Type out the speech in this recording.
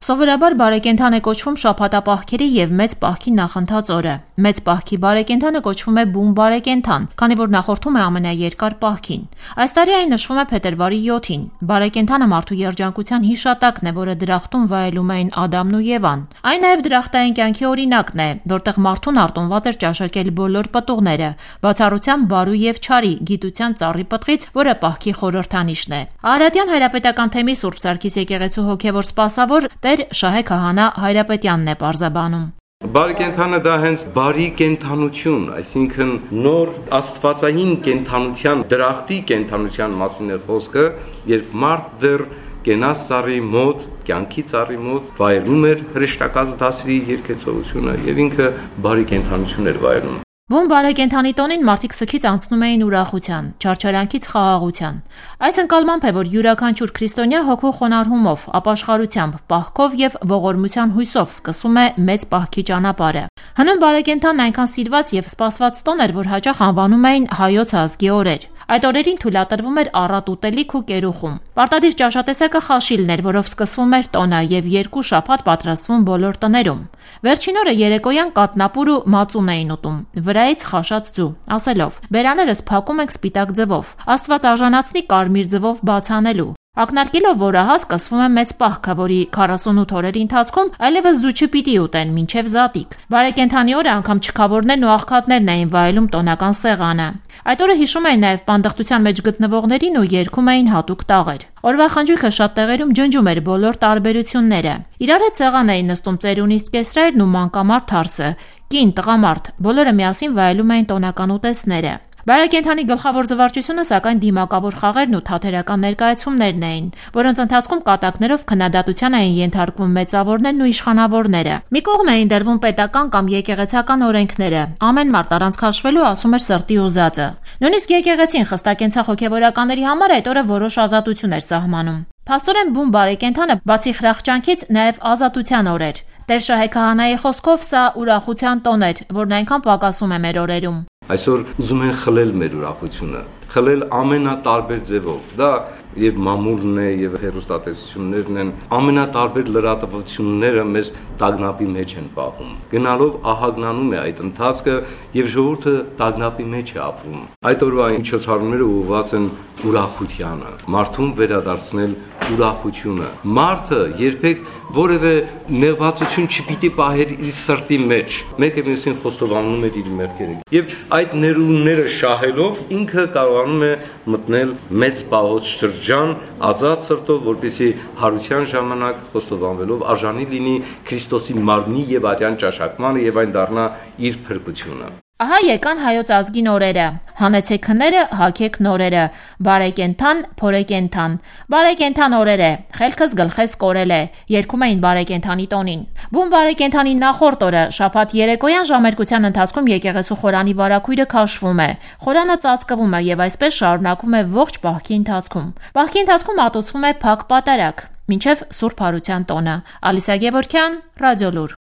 Սովորաբար բարեկենդան է կոչվում շաբաթապահքերի և մեծ պահքի նախընթաց օրը։ Մեծ պահքի բարեկենդանը կոչվում է բուն բարեկենդան, քանի որ նախորդում է ամենաերկար պահքին։ Այս տարի այն նշվում է փետրվարի 7-ին։ Բարեկենդանը մարդու երջանկության հիշատակն է, որը դրախտում վայելում էին Ադամն ու Եվան։ Այն նաև դրախտային կյանքի օրինակն է, որտեղ մարդուն արտոնված էր ճաշակել բոլոր պտուղները, բացառությամբ բարու և չարի, գիտության ծառի պտղից, որը պահքի խորհրդանիշն է։ Արարատյան հայրապետական թեմի Սուրբ Սարգիս եկեղեցու հոգևոր սպասավոր Տեր Շահե քահանա Հայրապետյանն է պարզաբանում։ Բարեկենդանը դա հենց բարի կենդանություն, այսինքն նոր աստվածային կենդանության, դրախտի կենդանության մասին է խոսքը, երբ մարդ դեռ կենաց ծառի մոտ, կյանքի ծառի մոտ վայելում էր հրեշտակած դասերի երկեցողությունը եւ ինքը բարի կենդանություն էր վայելում։ Բուն բարեկենդանի տոնին մարդիկ սգից անցնում էին ուրախության, չարչարանքից խաղաղության։ Այս ընկալմամբ է, որ յուրաքանչյուր քրիստոնյա հոգու խոնարհումով, ապաշխարությամբ, պահքով եւ ողորմության հույսով սկսում է մեծ պահքի ճանապարհը։ Հնում բարեկենդանն այնքան սիրված եւ սպասված տոն էր, որ հաճախ անվանում էին հայոց ազգի օրեր։ Այդ օրերին թույլատրվում էր առատ ուտելիք ու կերուխում։ Պարտադիր ճաշատեսակը խաշիլն էր, որով սկսվում էր տոնը եւ 2 շաբաթ պատրաստվում բոլոր տներում։ Վերջին օրը երեկոյան կատնապուր ու մածուն էին ուտում, վրայից խաշած ձու, ասելով. «Բերաներս փակում ենք սպիտակ ձվով, Աստված արժանացնի կարմիր ձվով բաց անելու»։ Ակնարկելով, որ ահա սկսվում է մեծ պահքը, որի 48 օրերի ընթացքում այլևս ձու չպիտի ուտեն մինչև զատիկ։ Բարեկենդանի օրը անգամ չքավորներն ու աղքատներն էին վայելում տոնական սեղանը։ Այդ օրը հիշում էին նաև պանդխտության մեջ գտնվողներին ու երգում էին հատուկ տաղեր։ Օրվա խնջույքը շատ տեղերում ջնջում էր բոլոր տարբերությունները։ Իրար հետ սեղան էին նստում ծերունիստ կեսրերն ու մանկամարդ թարսը, կին, տղամարդ, բոլորը միասին վայելում էին տոնական ուտեստները։ Բարեկենդանի գլխավոր զվարճությունը սակայն դիմակավոր խաղերն ու թատերական ներկայացումներն էին, որոնց ընթացքում կատակներով քննադատության էին ենթարկվում մեծավորներն ու իշխանավորները։ Մի կողմ էին դրվում պետական կամ եկեղեցական օրենքները, ամեն մարդ առանց քաշվելու ասում էր սրտի ուզածը։ Նույնիսկ եկեղեցին խստակենցաղ հոգևորականների համար այդ օրը որոշ ազատություն էր սահմանում։ Փաստորեն բուն բարեկենդանը բացի խրախճանքից նաև ազատության օր էր։ Տեր Շահե քահանայի խոսքով սա ուրախության տոն էր, որն այնքան պակասում է մեր օրերում։ Այսօր ուզում են խլել մեր ուրախությունը, խլել ամենատարբեր ձևով։ Դա եւ մամուլն է եւ հերոստատեսություններն են, ամենատարբեր լրատվությունները մեզ տագնապի մեջ են պահում։ Գնալով ահագնանում է այդ ընթացքը եւ ժողովուրդը տագնապի մեջ է ապրում։ Այդ օրվա միջոցառումները ուղղված են ուրախությանը, մարդուն վերադարձնել ուրախությունը։ Մարդը երբեք որևէ նեղվածություն չպիտի պահեր իր սրտի մեջ։ Մեկը մյուսին խոստովանում է իր մեղքերը։ Եվ այդ ներումները շահելով ինքը կարողանում է մտնել մեծ պահոց շրջան ազատ սրտով, որպեսզի հարության ժամանակ խոստովանվելով արժանի լինի Քրիստոսի մարմնի եւ արյան ճաշակմանը եւ այն դառնա իր փրկությունը։ Ահա եկան հայոց ազգին օրերը, հանեցեք քները, հագեք նորերը, բարեկենդան, փորեկենդան, բարեկենդան օրեր է, խելքս գլխես կորել է, երգում էին բարեկենդանի տոնին։ Բուն բարեկենդանի նախորդ օրը, շաբաթ երեկոյան ժամերկության ընթացքում եկեղեցու խորանի վարագույրը քաշվում է, խորանը ծածկվում է եւ այսպես շարունակվում է ողջ պահքի ընթացքում։ Պահքի ընթացքում ատուցվում է փակ պատարագ, մինչև Սուրբ Հարության տոնը։ Ալիսա Գևորգյան, Ռադիոլուր։